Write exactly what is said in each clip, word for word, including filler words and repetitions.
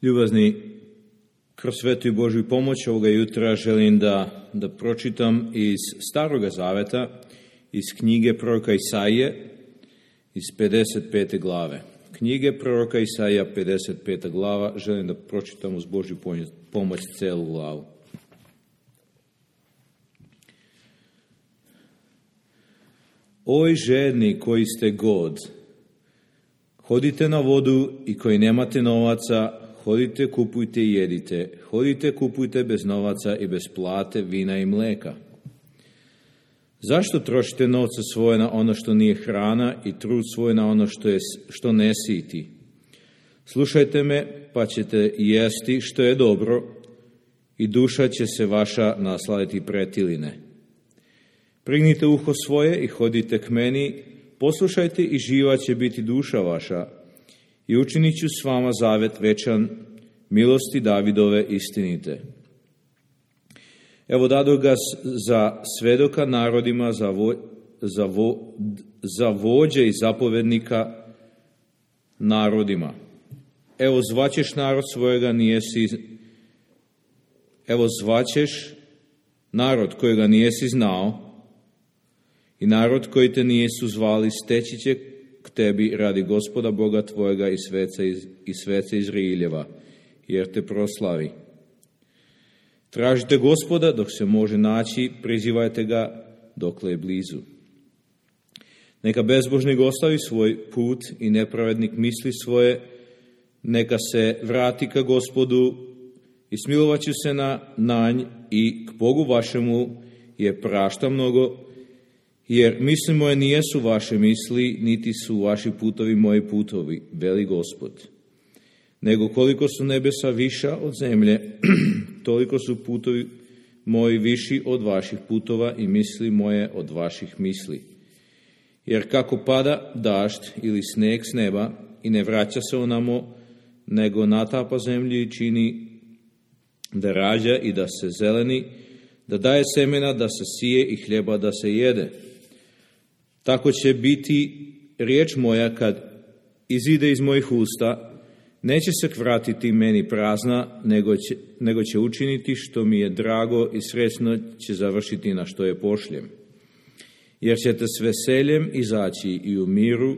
Ljubazni, kroz svetu i Božju pomoć ovoga jutra želim da, da pročitam iz Staroga Zaveta, iz knjige proroka Isaije, iz pedeset pete glave. Knjige proroka Isaija, pedeset peta glava, želim da pročitam uz Božju pomoć celu glavu. Oj žedni koji ste god, hodite na vodu i koji nemate novaca, hodite, kupujte i jedite. Hodite, kupujte bez novaca i bez plate, vina i mleka. Zašto trošite novce svoje na ono što nije hrana i trud svoj na ono što, je, što ne siti? Slušajte me, pa ćete jesti što je dobro i duša će se vaša nasladiti pretiline. Prignite uho svoje i hodite k meni, poslušajte i živa će biti duša vaša i učinit ću s vama zavet večan, milosti Davidove istinite. Evo dado ga za svedoka narodima, za, vo, za, vo, za vođe i zapovednika narodima. Evo zvaćeš narod svojega, nijesi, evo zvaćeš narod kojega nijesi znao i narod koji te nijesu zvali steći će k tebi radi Gospoda Boga tvojega i sveca iz, i sveca Izraeljeva, jer te proslavi. Tražite Gospoda dok se može naći, prizivajte ga dokle je blizu. Neka bezbožnik ostavi svoj put i nepravednik misli svoje, neka se vrati ka Gospodu i smilovat ću se na nanj i k Bogu vašemu je prašta mnogo, jer misli moje nijesu vaše misli, niti su vaši putovi moji putovi, veli Gospod. Nego koliko su nebesa viša od zemlje, toliko su putovi moji viši od vaših putova i misli moje od vaših misli. Jer kako pada dašt ili sneg s neba i ne vraća se onamo, nego natapa zemlju i čini da rađa i da se zeleni, da daje semena da se sije i hljeba da se jede. Tako će biti riječ moja kad izide iz mojih usta, neće se vratiti meni prazna, nego će, nego će učiniti što mi je drago i sretno će završiti na što je pošljem. Jer ćete s veseljem izaći i u miru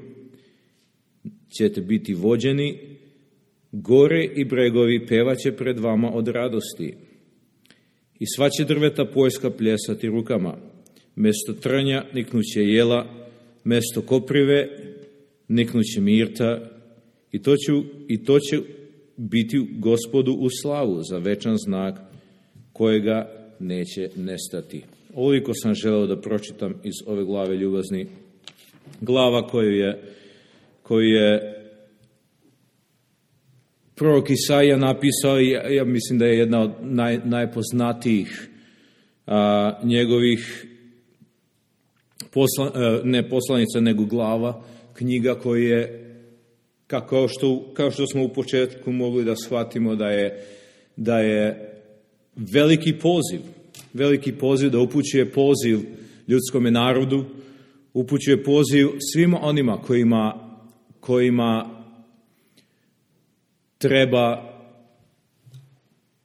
ćete biti vođeni, gore i bregovi pevaće pred vama od radosti. I sva će drveta poljska pljesati rukama, mesto trnja niknuće jela, mesto koprive niknuće mirta, I to, ću, I to će biti Gospodu u slavu za večan znak kojega neće nestati. Ovoliko sam želeo da pročitam iz ove glave, ljubazni. Glava koju je, koju je prorok Isaija napisao, ja, ja mislim da je jedna od naj, najpoznatijih a, njegovih posla, a, ne poslanica, nego glava, knjiga koju je Kao što, kao što smo u početku mogli da shvatimo da je, da je veliki poziv, veliki poziv da upućuje poziv ljudskome narodu, upućuje poziv svima onima kojima, kojima treba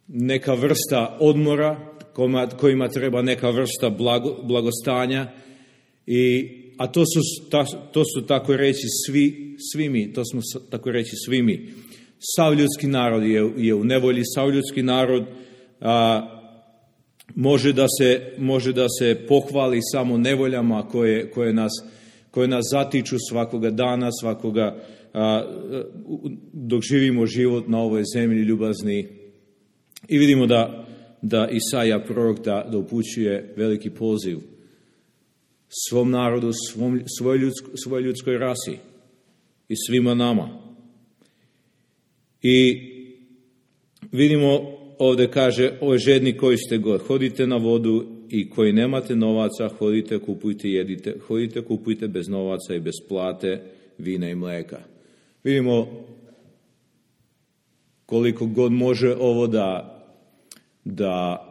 neka vrsta odmora, kojima, kojima treba neka vrsta blago, blagostanja i A to su, ta, to su tako reći svi, svi mi, to smo tako reći svi mi. Sav ljudski narod je, je u nevolji, sav ljudski narod a, može, da se, može da se pohvali samo nevoljama koje, koje, nas, koje nas zatiču svakoga dana, svakoga, a, dok živimo život na ovoj zemlji, ljubazni. I vidimo da, da Isaija prorok da, da upućuje veliki poziv svom narodu, svom, svoj, ljudsko, svoj ljudskoj rasi i svima nama. I vidimo ovdje kaže, oj žedni koji ste god, hodite na vodu i koji nemate novaca, hodite, kupujte, jedite, hodite, kupujte bez novaca i bez plate, vina i mleka. Vidimo koliko god može ovo da, da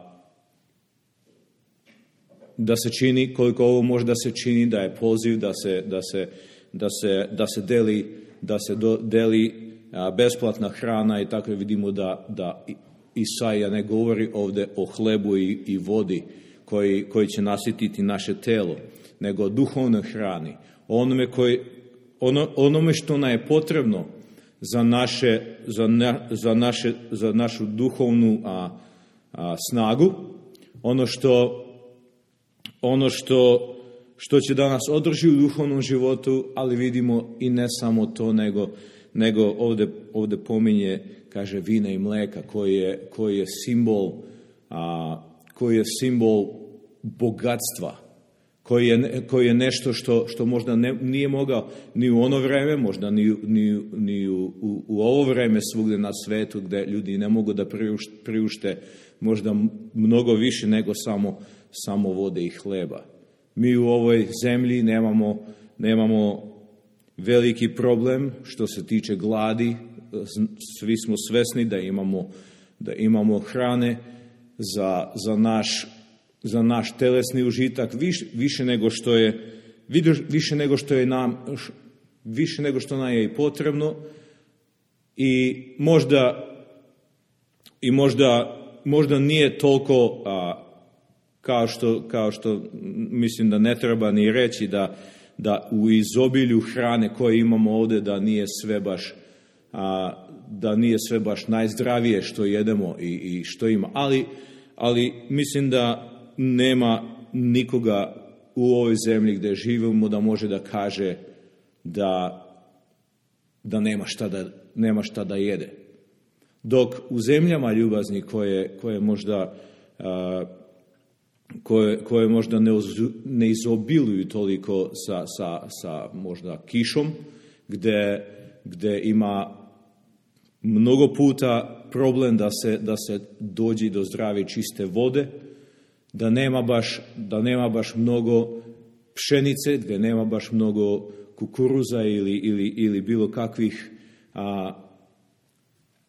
da se čini, koliko ovo može da se čini, da je poziv da se, da se, da se, da se deli, da se do, deli besplatna hrana i tako vidimo da, da Isaija ne govori ovdje o hlebu i, i vodi koji, koji će nasititi naše telo, nego o duhovnoj hrani, onome, koji, ono, onome što nam je potrebno za, naše, za, na, za, naše, za našu duhovnu a, a, snagu, ono što ono što, što će da nas održi u duhovnom životu, ali vidimo i ne samo to, nego, nego ovdje, ovdje pominje, kaže, vina i mleka, koji je, koji je simbol, a, koji je simbol bogatstva, koji je, koji je nešto što, što možda ne, nije mogao ni u ono vreme, možda ni, ni, ni u, u, u ovo vreme svugdje na svetu, gdje ljudi ne mogu da priušte, priušte možda mnogo više nego samo, samo vode i hleba. Mi u ovoj zemlji nemamo, nemamo veliki problem što se tiče gladi. Svi smo svesni da imamo, da imamo hrane za, za, naš, za naš telesni užitak više, više nego što je više nego što je nam više nego što nam je i potrebno i možda i možda možda nije toliko a, kao što kao što mislim da ne treba ni reći da da u izobilju hrane koje imamo ovdje da nije sve baš a, da nije sve baš najzdravije što jedemo i, i što ima, ali ali mislim da nema nikoga u ovoj zemlji gdje živimo da može da kaže da da nema šta da nema šta da jede. Dok u zemljama ljubazni koje koje možda a, koje koje možda ne, ne izobiluju toliko sa sa sa možda kišom, gdje gdje ima mnogo puta problem da se da se dođe do zdrave čiste vode, da nema baš da nema baš mnogo pšenice, gdje nema baš mnogo kukuruza ili ili ili bilo kakvih a,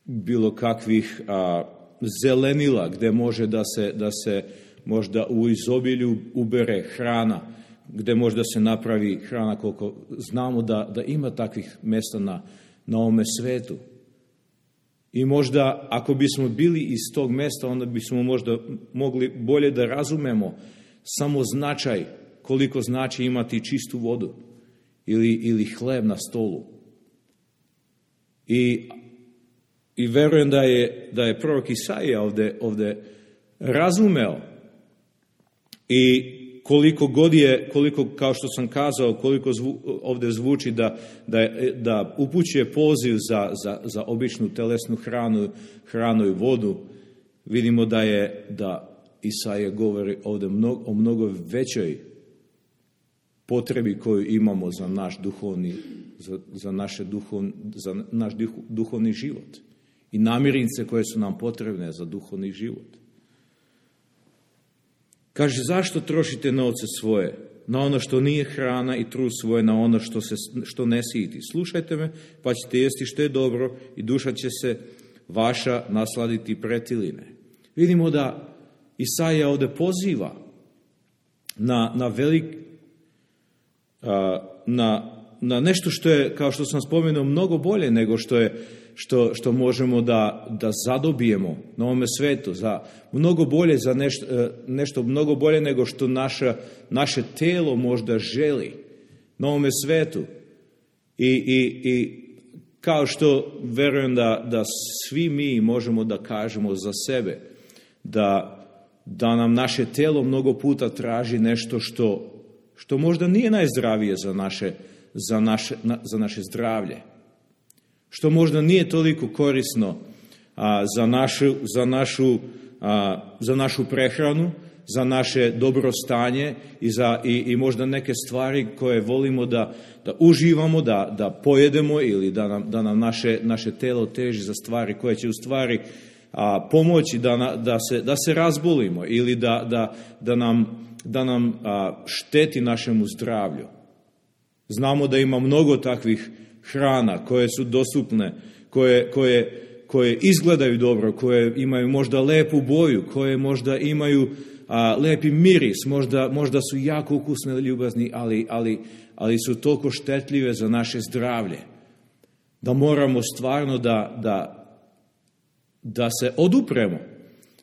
bilo kakvih a, zelenila gdje može da se da se možda u izobilju ubere hrana, gdje možda se napravi hrana koliko znamo da da ima takvih mjesta na na ovome svetu. I možda ako bismo bili iz tog mjesta, onda bismo možda mogli bolje da razumemo samo značaj koliko znači imati čistu vodu ili, ili hleb na stolu. I, i verujem da je, da je prorok Isaija ovdje, ovdje razumeo i koliko god je, koliko, kao što sam kazao, koliko zvu, ovdje zvuči da, da, da upućuje poziv za, za, za običnu telesnu hranu, hranu i vodu, vidimo da je da Isaija govori ovdje mnogo, o mnogo većoj potrebi koju imamo za naš duhovni, za, za, naše duhovni, za naš duhovni život i namirnice koje su nam potrebne za duhovni život. Kaže, zašto trošite novce svoje na ono što nije hrana i trud svoje na ono što, se, što ne siti? Slušajte me, pa ćete jesti što je dobro i duša će se vaša nasladiti pretiline. Vidimo da Isaija ovdje poziva na, na, velik, na, na nešto što je, kao što sam spomenuo, mnogo bolje nego što je Što, što možemo da, da zadobijemo na ovome svetu, za mnogo bolje, za nešto, nešto mnogo bolje nego što naša, naše telo možda želi na ovome svetu. I, i, i kao što verujem da, da svi mi možemo da kažemo za sebe, da, da nam naše telo mnogo puta traži nešto što, što možda nije najzdravije za naše, za naše, za naše zdravlje. Što možda nije toliko korisno a, za, našu, za, našu, a, za našu prehranu, za naše dobrostanje i, za, i, i možda neke stvari koje volimo da, da uživamo, da, da pojedemo ili da nam, da nam naše, naše telo teži za stvari koje će u stvari a, pomoći da, na, da, se, da se razbolimo ili da, da, da nam, da nam a, šteti našemu zdravlju. Znamo da ima mnogo takvih hrana koje su dostupne, koje, koje, koje izgledaju dobro, koje imaju možda lepu boju, koje možda imaju a, lepi miris, možda, možda su jako ukusne i ljubazni, ali, ali, ali su toliko štetljive za naše zdravlje. da moramo stvarno da, da, da se odupremo,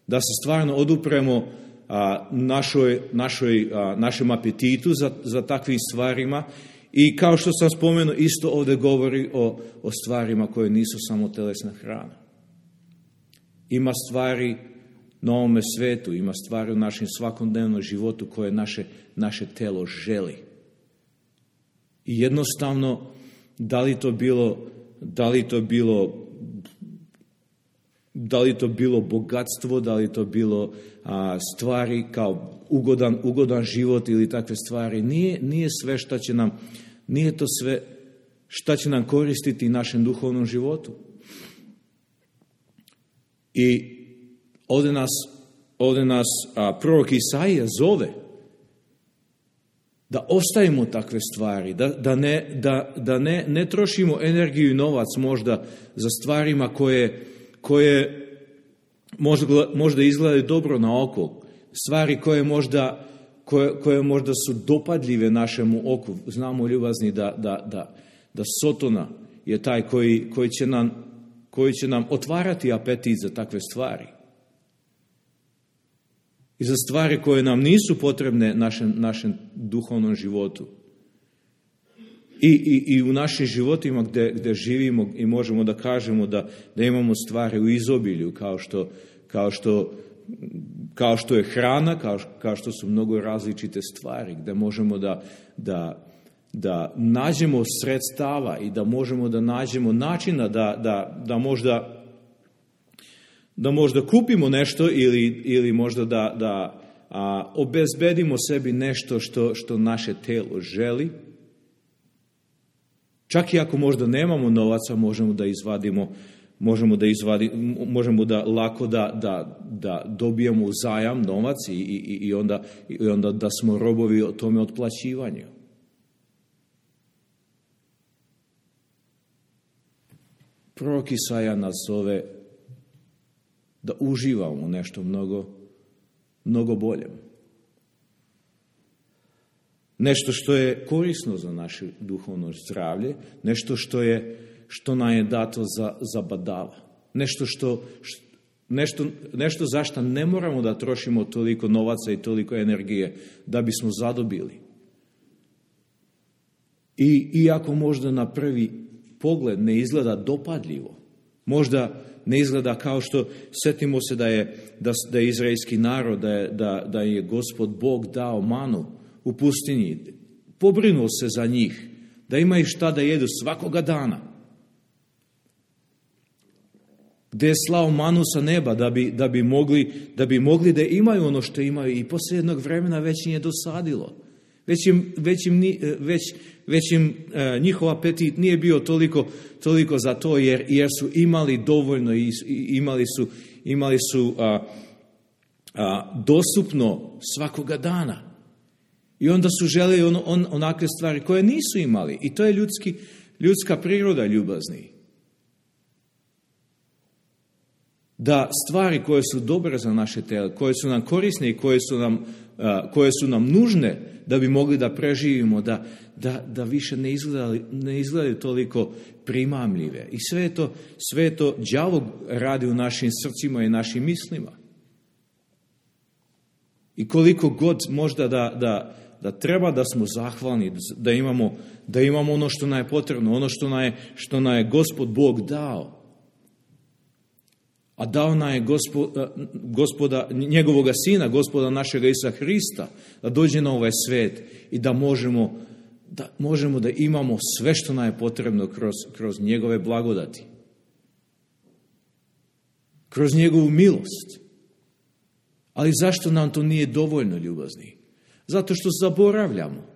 da se stvarno odupremo a, našoj, našoj, a, našem apetitu za, za takvim stvarima. I kao što sam spomenuo, isto ovdje govori o, o stvarima koje nisu samo telesna hrana. Ima stvari na ovome svetu, ima stvari u našem svakodnevnom životu koje naše, naše telo želi. I jednostavno, da li to bilo, da li to bilo, da li to bilo bogatstvo, da li to bilo a, stvari kao ugodan, ugodan život ili takve stvari, nije, nije sve šta će nam, nije to sve šta će nam koristiti našem duhovnom životu. I ovdje nas, ovdje nas a, prorok Isaija zove da ostavimo takve stvari, da, da, ne, da, da ne, ne trošimo energiju i novac možda za stvarima koje, koje možda, možda izgledaju dobro na oko, stvari koje možda, koje, koje možda su dopadljive našemu oku. Znamo, ljubazni, da, da, da, da Sotona je taj koji, koji, će nam, koji će nam otvarati apetit za takve stvari. I za stvari koje nam nisu potrebne našem, našem duhovnom životu. I, i, i u našim životima gdje, gdje živimo i možemo da kažemo da, da imamo stvari u izobilju, kao što, kao što, kao što je hrana, kao, kao što su mnogo različite stvari, gdje možemo da, da, da nađemo sredstava i da možemo da nađemo načina da, da, da možda da možda kupimo nešto ili, ili možda da, da a, obezbedimo sebi nešto što, što naše telo želi. Čak i ako možda nemamo novaca, možemo da izvadimo, možemo da izvadimo, možemo da lako da, da, da dobijemo zajam novac i, i, i, onda, i onda da smo robovi o tome otplaćivanju. Prorok Isaija nas zove da uživamo u nešto mnogo, mnogo boljem. Nešto što je korisno za naše duhovno zdravlje, nešto što je, što nam je dato za, za badava. Nešto, što, nešto, nešto za što ne moramo da trošimo toliko novaca i toliko energije da bismo zadobili. I iako možda na prvi pogled ne izgleda dopadljivo, možda ne izgleda kao što, setimo se da je, da, da je izraelski narod, da je, da, da je Gospod Bog dao manu u pustinji, pobrinuo se za njih, da imaju šta da jedu svakoga dana. Gde je slao manu sa neba da bi, da bi, mogli, da bi mogli da imaju ono što imaju i poslije jednog vremena već im je dosadilo. Već im, već im, već, već im e, njihov apetit nije bio toliko, toliko za to jer, jer su imali dovoljno i, i imali su, imali su a, a, dostupno svakoga dana. I onda su želeli on, on, onakve stvari koje nisu imali. I to je ljudski, ljudska priroda, ljubazni. Da stvari koje su dobre za naše telo, koje su nam korisne i koje su nam, a, koje su nam nužne da bi mogli da preživimo, da, da, da više ne izgledaju, ne izgledaju toliko primamljive. I sve to, sve to đavo radi u našim srcima i našim mislima. I koliko god možda da, da, da treba da smo zahvalni, da imamo, da imamo ono što nam je potrebno, ono što nam je, što nam je Gospod Bog dao. A dao nam je gospoda, gospoda, njegovoga sina, Gospoda našega Isusa Hrista, da dođe na ovaj svet i da možemo da, možemo da imamo sve što nam je potrebno kroz, kroz njegove blagodati. Kroz njegovu milost. Ali zašto nam to nije dovoljno, ljubazni? Zato što zaboravljamo.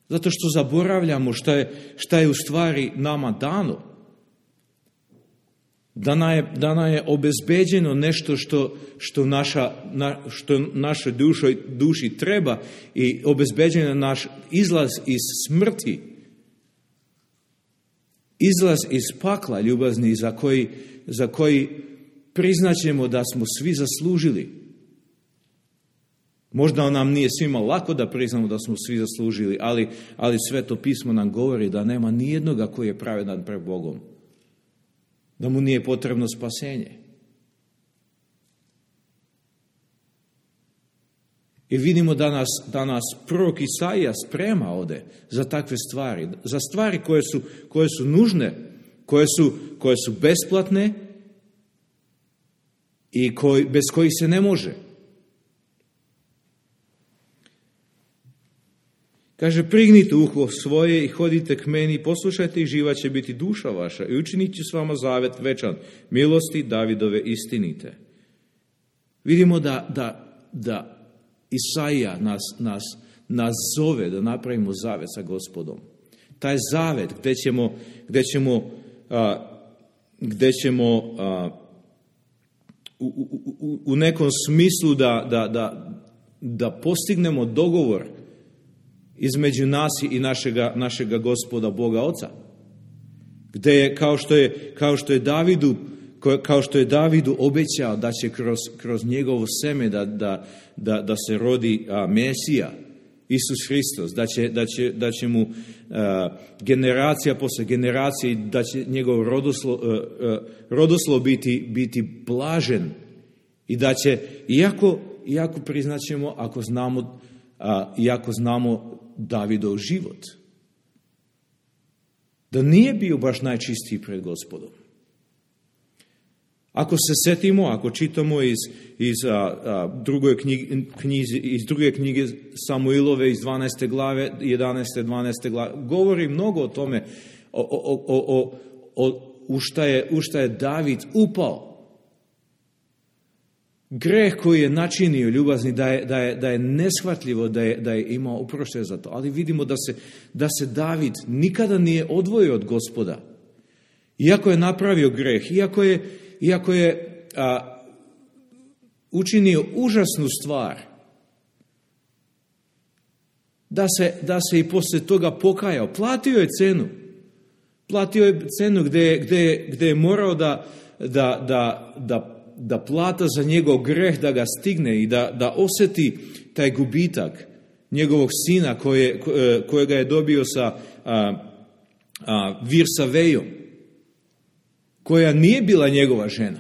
Zato što zaboravljamo šta je, šta je u stvari nama dano. Da nam je, da nam je obezbeđeno nešto što, što, naša, na, što našoj duši, duši treba i obezbeđeno naš izlaz iz smrti. Izlaz iz pakla, ljubazni, za koji, za koji priznaćemo da smo svi zaslužili. Možda nam nije svima lako da priznamo da smo svi zaslužili, ali, ali Sveto pismo nam govori da nema nijednoga koji je pravedan pred Bogom. Da mu nije potrebno spasenje. I vidimo da nas, da nas prorok Isaija sprema ovde za takve stvari. Za stvari koje su, koje su nužne, koje su, koje su besplatne i koji, bez kojih se ne može. Kaže, prignite uho svoje i hodite k meni, poslušajte i živa će biti duša vaša i učinit ću s vama zavet večan, milosti Davidove istinite. Vidimo da, da, da Isaija nas, nas, nas zove da napravimo zavet sa Gospodom. Taj zavet gdje ćemo, gdje ćemo, a, gdje ćemo a, u, u, u nekom smislu da, da, da, da postignemo dogovor između nas i našega, našega Gospoda Boga Oca. Gdje je, kao što je, kao što je Davidu, kao što je Davidu obećao da će kroz, kroz njegovo seme da, da, da, da se rodi a, Mesija, Isus Hristos, da će, da će, da će mu a, generacija posle generacije, da će njegov rodoslo, a, a, rodoslo biti, biti blažen i da će, iako, iako priznaćemo, ako znamo, a, iako znamo Davidov život, da nije bio baš najčistiji pred Gospodom. Ako se setimo, ako čitamo iz, iz, a, a, druge knjige, knjizi, iz druge knjige Samuilove iz dvanaeste glave, jedanaeste, dvanaeste glave, govori mnogo o tome, o, o, o, o, o, u, šta je, u šta je David upao. Greh koji je načinio, ljubazni, da je, da je, da je neshvatljivo da je, da je imao oproštaj za to. Ali vidimo da se, da se David nikada nije odvojio od Gospoda. Iako je napravio greh, iako je, iako je a, učinio užasnu stvar, da se, da se i poslije toga pokajao. Platio je cenu. Platio je cenu gdje, gdje, gdje je morao da, da, da, da da plata za njegov greh da ga stigne i da, da osjeti taj gubitak njegovog sina koje, kojega je dobio sa a, a, Virsavejom, koja nije bila njegova žena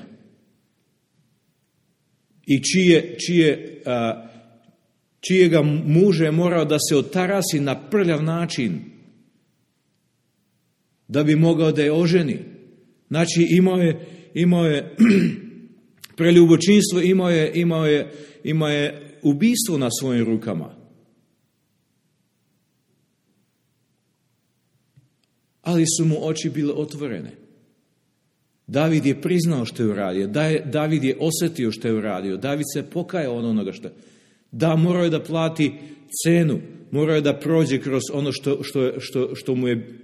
i čije, čije, a, čijega muže je morao da se otarasi na prljav način da bi mogao da je oženi. Znači imao je, imao je preljubočinstvo, imao je, imao je, imao je ubistvo na svojim rukama. Ali su mu oči bile otvorene. David je priznao što je uradio. David je osjetio što je uradio. David se pokajao od onoga što je. Da, morao je da plati cenu. Morao je da prođe kroz ono što, što, što, što, mu, je,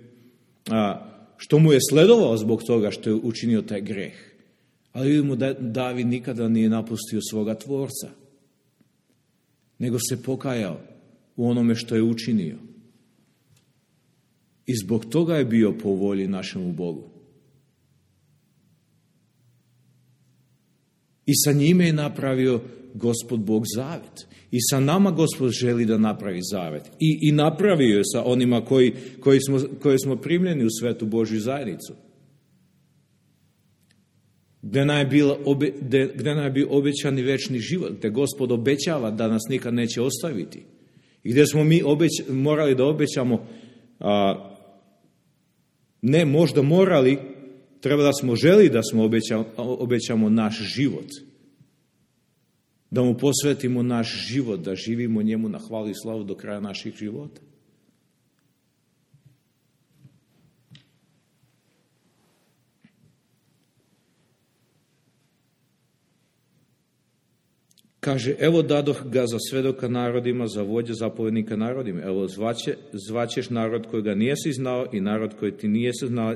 a, što mu je sledovao zbog toga što je učinio taj greh. Ali vidimo da David nikada nije napustio svoga tvorca, nego se pokajao u onome što je učinio. I zbog toga je bio po volji našemu Bogu. I sa njime je napravio Gospod Bog zavet. I sa nama Gospod želi da napravi zavet. I, i napravio je sa onima koji, koji, smo, koji smo primljeni u svetu Božju zajednicu. Gdje nam je, bila, obe, gdje, gdje nam je bio obećani večni život, gdje Gospod obećava da nas nikad neće ostaviti. I gdje smo mi obeć, morali da obećamo, a, ne možda morali, treba da smo želi da smo obećamo, obećamo naš život. Da mu posvetimo naš život, da živimo njemu na hvalu i slavu do kraja naših života. Kaže, evo dadoh ga za svedoka narodima, za vođe zapovjednika narodima. Evo zvaće, zvaćeš narod kojega nijesi znao i narod koji ti nijesi znao.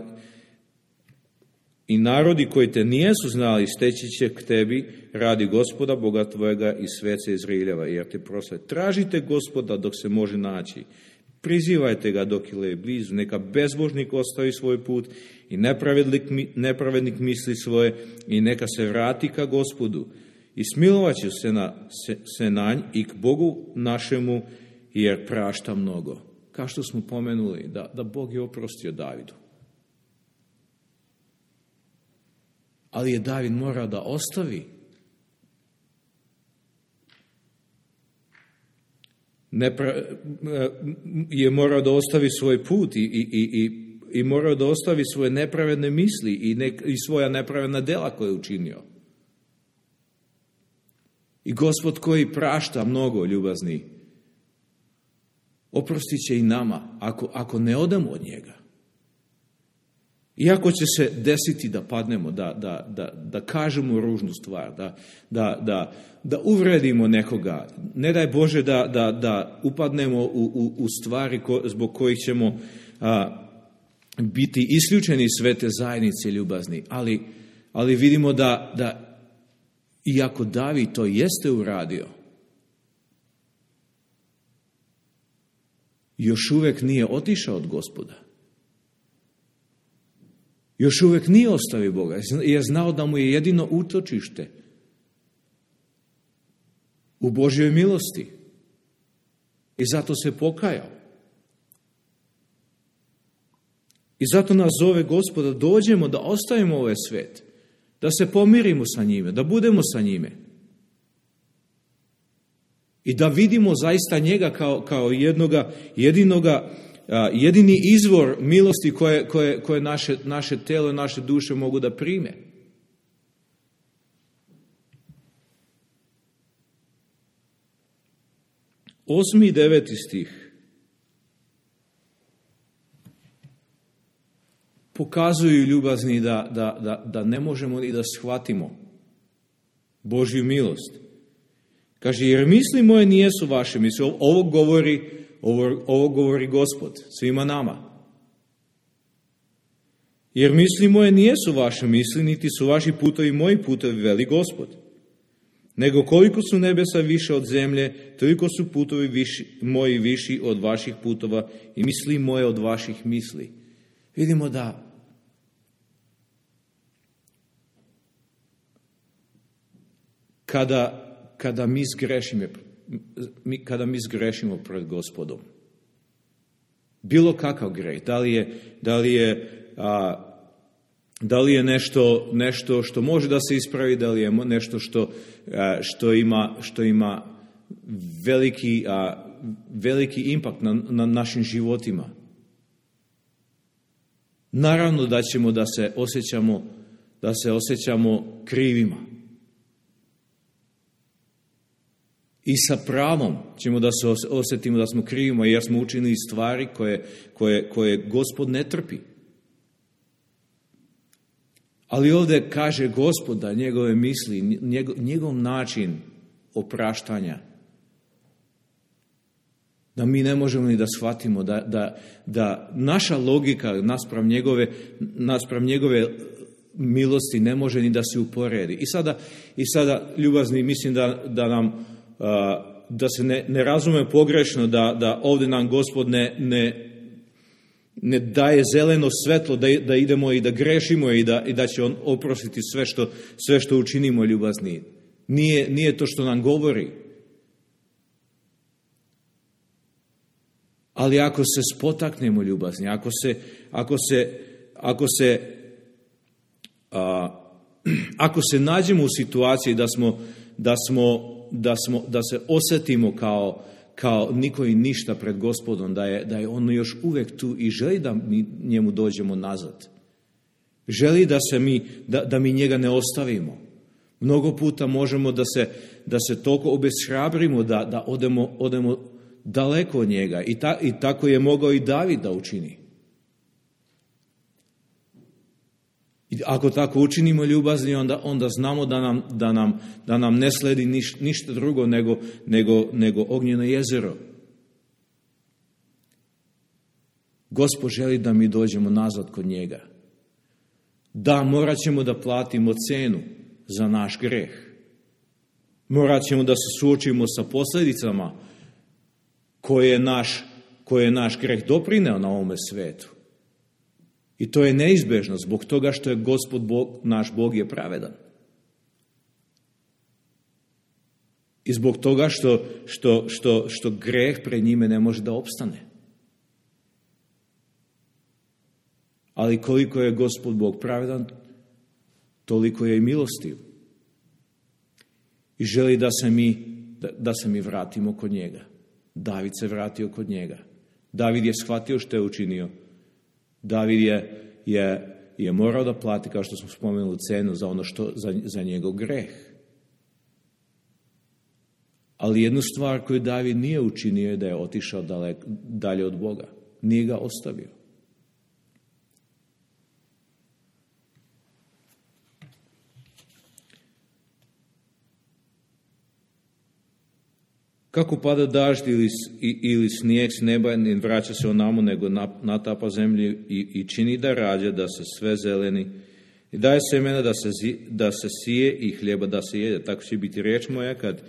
I narodi koji te nijesu znali steći će k tebi radi Gospoda, Boga tvojega i svece Izraeljeva, jer te prosle. Tražite Gospoda dok se može naći. Prizivajte ga dok je blizu. Neka bezbožnik ostavi svoj put i nepravednik, nepravednik misli svoje i neka se vrati ka Gospodu. i smilovat ću se, na, se, se na nj i k Bogu našemu, jer prašta mnogo. Kao što smo pomenuli, da, da Bog je oprostio Davidu. Ali je David morao da ostavi Nepra, je morao da ostavi svoj put i, i, i, i morao da ostavi svoje nepravedne misli i, ne, i svoja nepravedna dela koje je učinio. I Gospod koji prašta mnogo, ljubazni, oprostit će i nama ako, ako ne odemo od njega. Iako će se desiti da padnemo, da, da, da, da kažemo ružnu stvar, da, da, da, da uvredimo nekoga, ne daj Bože da, da, da upadnemo u, u, u stvari ko, zbog kojih ćemo a, biti isključeni iz svete zajednice, ljubazni. Ali, ali vidimo da, da iako David to jeste uradio, još uvek nije otišao od Gospoda. Još uvek nije ostavio Boga, jer je znao da mu je jedino utočište u Božjoj milosti. I zato se pokajao. I zato nas zove Gospoda, dođemo da ostavimo ovaj svet, da se pomirimo sa njime, da budemo sa njime. I da vidimo zaista njega kao, kao jednoga, jedinoga, jedini izvor milosti koje, koje, koje naše, naše telo i naše duše mogu da prime. Osmi i deveti stih pokazuju, ljubazni, da, da, da, da ne možemo ni da shvatimo Božju milost. Kaže, jer misli moje nijesu vaše misli. Ovo govori, ovo, ovo govori Gospod svima nama. Jer misli moje nijesu vaše misli, niti su vaši putovi moji putovi, veli Gospod. Nego koliko su nebesa više od zemlje, toliko su putovi viši, moji viši od vaših putova i misli moje od vaših misli. Vidimo da kada, kada mi zgrešimo, kada mi zgrešimo pred Gospodom, bilo kakav greh, da li je, da li je, a, da li je nešto, nešto što može da se ispravi, da li je nešto što, a, što, ima, što ima veliki, a, veliki impakt na, na našim životima. Naravno da ćemo da se osjećamo, da se osjećamo krivima. I sa pravom ćemo da se osjetimo da smo krivima, jer smo učinili stvari koje, koje, koje Gospod ne trpi. Ali ovdje kaže Gospod da njegove misli, njegov, njegov način opraštanja, da mi ne možemo ni da shvatimo, da, da, da naša logika naspram njegove, naspram njegove milosti ne može ni da se uporedi. I sada, i sada ljubazni, mislim da, da nam, da se ne, ne razume pogrešno, da, da ovdje nam Gospod ne, ne, ne daje zeleno svetlo da, da idemo i da grešimo i da, i da će On oprostiti sve što, sve što učinimo, ljubazni. Nije, nije to što nam govori. Ali ako se spotaknemo, ljubazni, ako se, ako se, ako se, a, ako se nađemo u situaciji da smo, da smo, da smo, da se osjetimo kao, kao niko i ništa pred Gospodom, da je, da je On još uvijek tu i želi da mi njemu dođemo nazad. Želi da se mi, da, da mi njega ne ostavimo. Mnogo puta možemo da se, da se toliko obeshrabrimo, da, da odemo, odemo daleko od njega. I, ta, I tako je mogao i David da učini. I ako tako učinimo, ljubazni, onda, onda znamo da nam, da nam, da nam ne sledi niš, ništa drugo nego, nego, nego ognjeno jezero. Gospod želi da mi dođemo nazad kod njega. Da, morat ćemo da platimo cenu za naš greh. Morat ćemo da se suočimo sa posljedicama koje je naš, koje je naš greh doprineo na ovome svetu. I to je neizbežno zbog toga što je Gospod Bog, naš Bog je pravedan. I zbog toga što, što, što, što greh pred njime ne može da opstane. Ali koliko je Gospod Bog pravedan, toliko je i milostiv. I želi da se mi, da, da se mi vratimo kod njega. David se vratio kod njega. David je shvatio što je učinio. David je, je, je morao da plati, kao što smo spomenuli, cenu za ono što, za, za njegov greh. Ali jednu stvar koju David nije učinio je da je otišao dalek, dalje od Boga. Nije ga ostavio. Kako pada dažd ili, ili snijeg s neba, ne vraća se onamo, nego natapa zemlju i, i čini da rađa, da se sve zeleni, i daje semena da se, da se sije i hljeba da se jede. Tako će biti riječ moja kad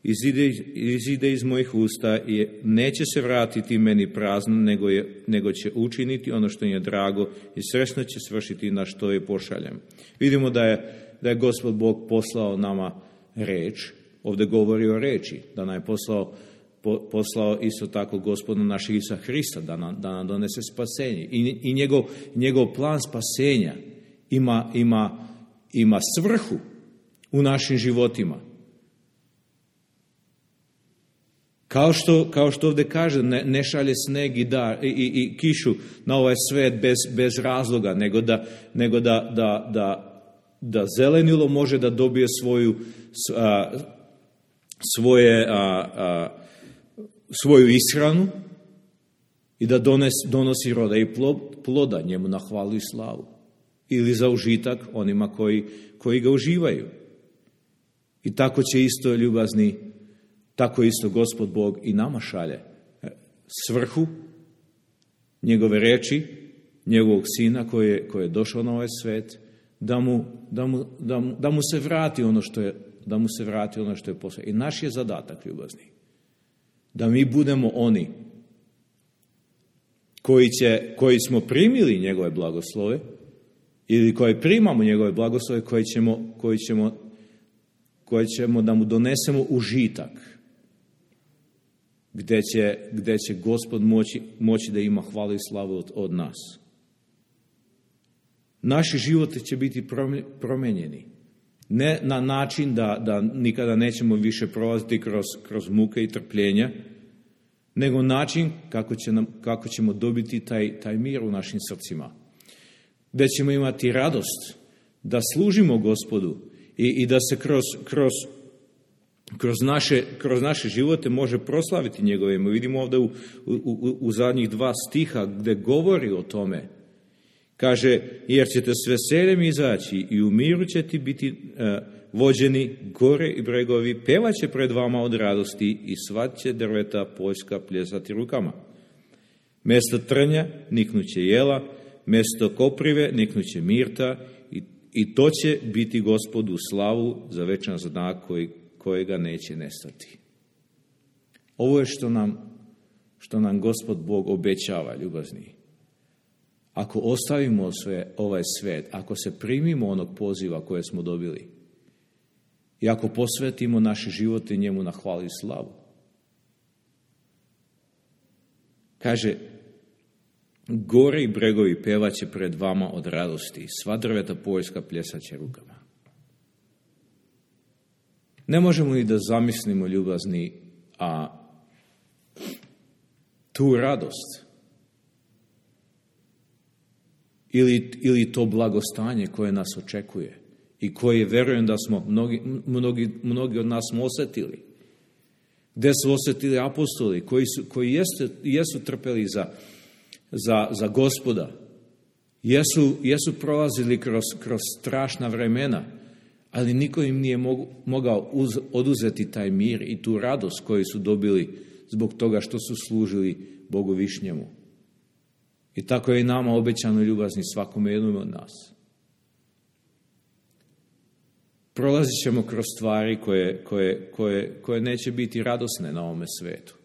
izide, izide iz mojih usta i neće se vratiti meni prazno, nego, je, nego će učiniti ono što je drago i srećno će svršiti na što je pošaljem. Vidimo da je, da je Gospod Bog poslao nama reč. Ovdje govori o reči, da nam je poslao, po, poslao isto tako Gospoda našeg Isusa Hrista, da nam, da nam donese spasenje. I, i njegov, njegov plan spasenja ima, ima, ima svrhu u našim životima. Kao što, kao što ovdje kaže, ne, ne šalje sneg i, da, i, i, i kišu na ovaj svet bez, bez razloga, nego da, nego da, da, da, da zelenilo može da dobije svoju a, svoje, a, a, svoju ishranu i da dones, donosi roda i ploda njemu na hvalu i slavu. Ili za užitak onima koji, koji ga uživaju. I tako će isto, ljubazni, tako isto Gospod Bog i nama šalje svrhu njegove reči, njegovog sina koji je, koji je došao na ovaj svet, da mu, da mu, da mu, da mu se vrati ono što je da mu se vrati ono što je poslao. I naš je zadatak, ljubazni, da mi budemo oni koji, će, koji smo primili njegove blagoslove ili koji primamo njegove blagoslove, koji ćemo, koji ćemo, koji ćemo da mu donesemo užitak, gdje će, gdje će Gospod moći, moći da ima hvalu i slavu od, od nas. Naši životi će biti promenjeni. Ne na način da, da nikada nećemo više prolaziti kroz, kroz muke i trpljenja, nego način kako, će nam, kako ćemo dobiti taj, taj mir u našim srcima. Gdje ćemo imati radost da služimo Gospodu i, i da se kroz, kroz, kroz, naše, kroz naše živote može proslaviti njegove ime. Vidimo ovdje u, u, u, u zadnjih dva stiha gdje govori o tome. Kaže, jer ćete s veseljem izaći i u miru ćete biti uh, vođeni, gore i bregovi pevat će pred vama od radosti i sva će drveta poljska pljesati rukama. Mjesto trnja niknuće jela, mjesto koprive niknuće mirta i, i to će biti Gospodu slavu za večan znak koji, kojega neće nestati. Ovo je što nam, što nam Gospod Bog obećava, ljubazni. Ako ostavimo sve, ovaj svet, ako se primimo onog poziva koje smo dobili i ako posvetimo naše živote njemu na hvalu i slavu. Kaže, gore i bregovi pevaće pred vama od radosti, sva drveta poljska pljesaće rukama. Ne možemo ni da zamislimo, ljubazni, a tu radost ili, ili to blagostanje koje nas očekuje i koje verujem da smo mnogi, mnogi, mnogi od nas smo osjetili. Gdje su osjetili apostoli koji su, koji jesu, jesu trpeli za, za, za Gospoda. Jesu, jesu prolazili kroz, kroz strašna vremena, ali niko im nije mogu, mogao uz, oduzeti taj mir i tu radost koju su dobili zbog toga što su služili Bogu višnjemu. I tako je i nama obećano, ljubazni, svakome jednom od nas. Prolazit ćemo kroz stvari koje, koje, koje, koje neće biti radosne na ovome svetu.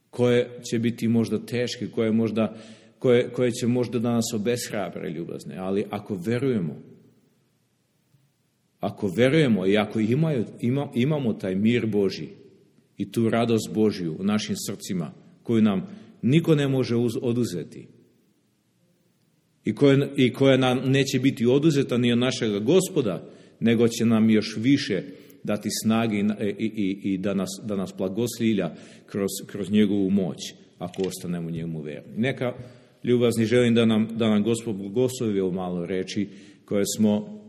Koje će biti možda teške, koje, možda, koje, koje će možda da nas obeshrabre, ljubazne. Ali ako verujemo, ako verujemo i ako imaju, ima, imamo taj mir Božji i tu radost Božju u našim srcima, koju nam niko ne može uz, oduzeti i koja, i koja nam neće biti oduzeta ni od našega Gospoda, nego će nam još više dati snage i, i, i da, nas, da nas blagoslivlja kroz, kroz njegovu moć, ako ostanemo njemu verni. Neka, ljubazni, želim da nam, da nam Gospod blagoslovi ovo malo reči koje smo,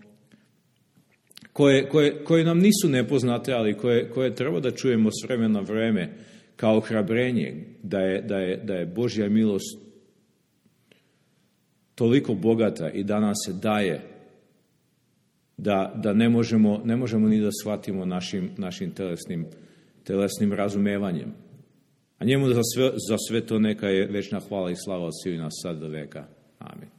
koje, koje, koje nam nisu nepoznate, ali koje, koje treba da čujemo s vremena na vreme kao ohrabrenje, da je, da je, da je Božja milost toliko bogata i da nam se daje, da, da ne, možemo, ne možemo ni da shvatimo našim, našim telesnim, telesnim razumevanjem. A njemu za sve, za sve to neka je večna hvala i slava od svih nas sad do veka. Amen.